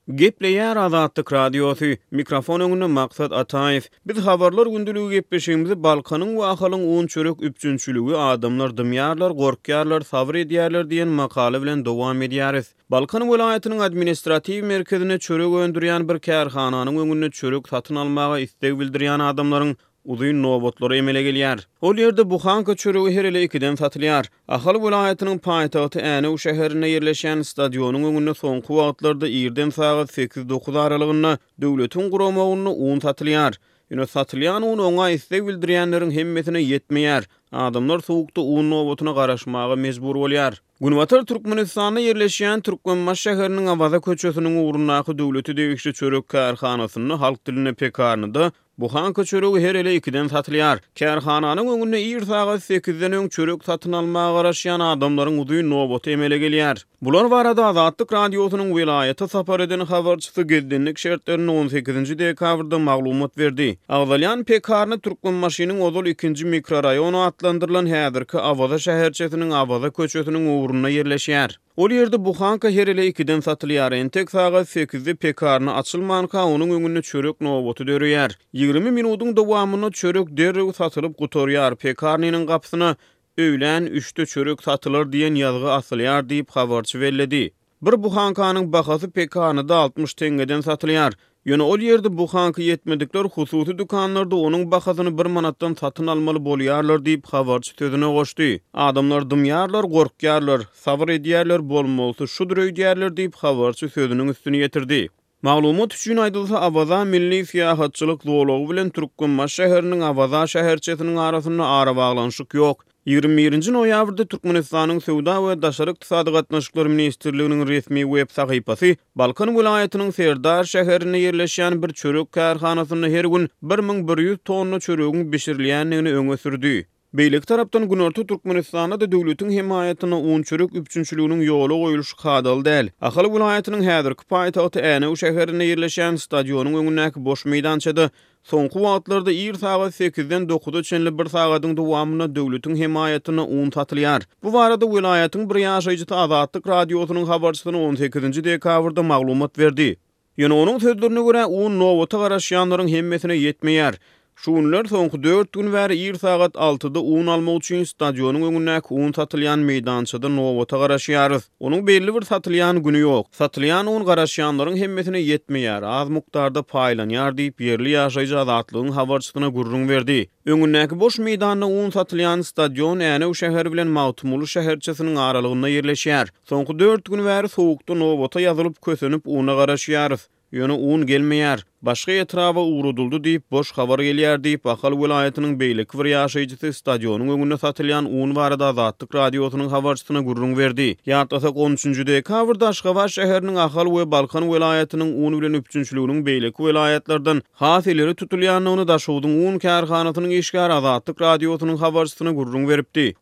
Gepleýär Azatlyk Radiosy, mikrofon öňünde Maksat Ataýew. Biz Habarlar gündeligi gepleşigimizi Balkanyň we Ahalyň un-çörek üpjünçiligi, adamlar dymýarlar, gorkýarlar, sabyr edýärler diýen makala bilen dowam edýäris. Balkan welaýatynyň administratiw merkezinde çörek öndürýän bir kärhananyň öňünde çörek satyn almaga isleg bildirýän adamlaryň uzyn nobatlary emele gelýär. Ol ýerde buhanka çöregi her ele ikiden satylýar. Ahal welaýatynyň paýtagty Änew şäherinde ýerleşýän stadionyň öňünde soňky wagtlarda irden sagat sekiz-dokuz aralygynda döwletiň guramagynda un satylýar. Ýöne satylýan un oňa isleg bildirýänleriň hemmesine ýetmeýär. Adamlar sowukda un nobatyna garaşmaga mejbur bolýar. Günbatar Türkmenistanda ýerleşýän Türkmenbaşy şäheriniň Awaza köçesiniň ugrundaky döwlete degişli çörek kärhanasynda, halk dilinde pekarnyda, Buhanka çöregi her ele ikiden satylýar. Kärhananyň öňünde ir sagat sekizden öň çörek satyn almaga garaşýan adamlaryň uzyn nobaty emele gelýär. Bular barada Azatlyk Radiosynyň welaýata sapar eden habarçysy gizlinlik şertlerinde on sekizinji dekabrda maglumat berdi. Agzalýan pekarny Türkmenbaşynyň ozal ikinji mikroraýon atlandyrylan häzirki Awaza şäherçesiniň Awaza köçesiniň ugrunda ýerleşýär. Ol ýerde buhanka her ele ikiden satylýar. Entek sagat sekizde pekarna açylmanka, onuň öňünde çörek nobaty döreýär. 20 minudyň dowamynda çörek derrew satylyp gutarýar. Pekarnynyň gapysyna Öýlän üçde çörek satylar diýen ýazgy asylýar diýip, habarçy belledi. Bir buhankanyň bahasy pekarnyda 60 teňňeden satylýar. Ýöne ol ýerde buhanka ýetmedikler hususy dükanlarda onuň bahasyny bir manatdan satyn almaly bolýarlar diýip, habarçy sözüne goşdy. Adamlar dymýarlar, gorkýarlar, sabyr edýärler, bolmalysy şudur öýdýärler diýip, habarçy sözüniň üstüni ýetirdi. Maglumat üçin aýdylsa, Awaza milli syýahatçylyk zolagy bilen Türkmenbaşy şäheriniň Awaza şäherçesiniň arasynda arabaglanyşyk ýok. 21-nji noýabrda Türkmenistanyň Söwda we daşary ykdysady gatnaşyklar ministrliginiň resmi web sahypasy Balkan welaýatynyň Serdar şäherinde ýerleşýän bir çörek kärhanasynda her gün 1100 tonna çöregiň bişirilýändigini öňe sürdi. Beýleki tarapdan, günorta Türkmenistanda-da döwletiň hemaýatynda un-çörek üpjünçiliginiň ýola goýulyşy kadaly däl. Ahal welaýatynyň häzirki paýtagty Änew şäherinde ýerleşýän stadionyň öňündäki boş meýdançada Soňky wagtlarda ir sagat sekizden dokuza çenli bir sagadyň dowamynda döwletiň hemaýatynda un satylýar. Bu barada welaýatyň bir ýaşaýjysy Azatlyk Radiosynyň habarçysyna on sekizinji dekabrda maglumat berdi. Ýöne onuň sözlerine görä, un nobata garaşýanlaryň hemmesine ýetmeýär. Şu günler soňky dört gün bäri ir sagat altyda un almak üçin stadionyň öňündäki un satylýan meýdançada nobata garaşýarys. Onuň belli bir satylýan güni ýok. Satylýan un garaşýanlaryň hemmesine ýetmeýär, az mukdarda paýlanýar diýip, ýerli ýaşaýjy Azatlygyň habarçysyna gürrüň berdi. Öňündäki boş meýdanda un satylýan stadion Änew şäheri bilen Magtymguly şäherçesiniň aralygynda ýerleşýär. Soňky dört gün bäri sowukda nobata ýazylyp, kösenip una garaşýarys. Ýöne un gelmeýär. Başga etraba ugradyldy diýip, boş habar gelýär diýip, Ahal welaýatynyň beýleki bir ýaşaýjysy stadionyň öňünde satylýan un barada Azatlyk Radiosynyň habarçysyna gürrüň berdi. Ýatlasak, on üçünji dekabrda Aşgabat şäheriniň Ahal we Balkan welaýatynyň un bilen üpjünçiliginiň beýleki welaýatlardan has ileri tutulýandygyny Daşogzuň un kärhanasynyň işgäri Azatlyk Radiosynyň habarçysyna gürrüň beripdi.